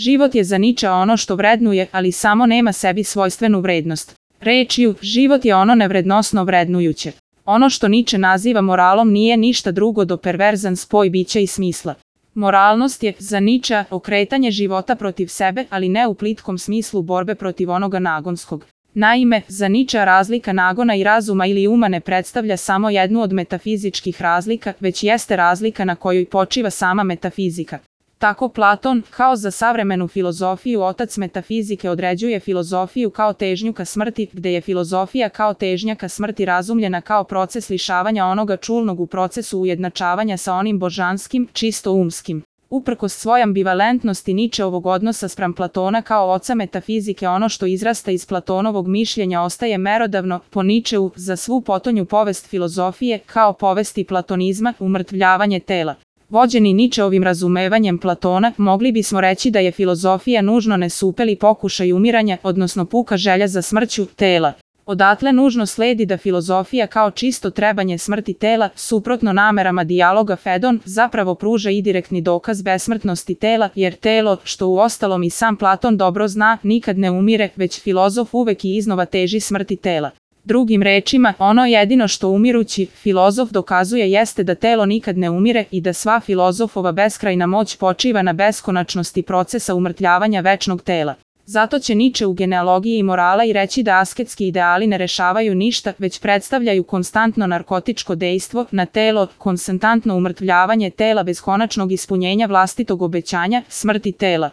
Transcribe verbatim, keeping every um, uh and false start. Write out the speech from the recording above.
život je za Ničea ono što vrednuje, ali samo nema sebi svojstvenu vrednost. Rečju, život je ono nevrednosno vrednujuće. Ono što Niče naziva moralom nije ništa drugo do perverzan spoj bića i smisla. Moralnost je, za Ničea, okretanje života protiv sebe, ali ne u plitkom smislu borbe protiv onoga nagonskog. Naime, za Ničea razlika nagona i razuma ili uma ne predstavlja samo jednu od metafizičkih razlika, već jeste razlika na kojoj počiva sama metafizika. Tako Platon, kao za savremenu filozofiju otac metafizike, određuje filozofiju kao težnju ka smrti, gde je filozofija kao težnja ka smrti razumljena kao proces lišavanja onoga čulnog u procesu ujednačavanja sa onim božanskim, čisto umskim. Uprkos svoj ambivalentnosti Ničeovog odnosa spram Platona kao oca metafizike, ono što izrasta iz Platonovog mišljenja ostaje merodavno, po Ničeu, za svu potonju povest filozofije, kao povesti platonizma, umrtvljavanje tela. Vođeni Ničeovim razumevanjem Platona, mogli bismo reći da je filozofija nužno nesupeli pokušaj umiranja, odnosno puka želja za smrću tela. Odatle nužno sledi da filozofija kao čisto trebanje smrti tela, suprotno namerama dijaloga Fedon, zapravo pruža i direktni dokaz besmrtnosti tela, jer telo, što uostalom i sam Platon dobro zna, nikad ne umire, već filozof uvek i iznova teži smrti tela. Drugim rečima, ono jedino što umirući filozof dokazuje jeste da telo nikad ne umire i da sva filozofova beskrajna moć počiva na beskonačnosti procesa umrtljavanja večnog tela. Zato će Niče u genealogiji i morala i reći da asketski ideali ne rešavaju ništa, već predstavljaju konstantno narkotičko dejstvo na telo, konstantno umrtvljavanje tela bez konačnog ispunjenja vlastitog obećanja, smrti tela.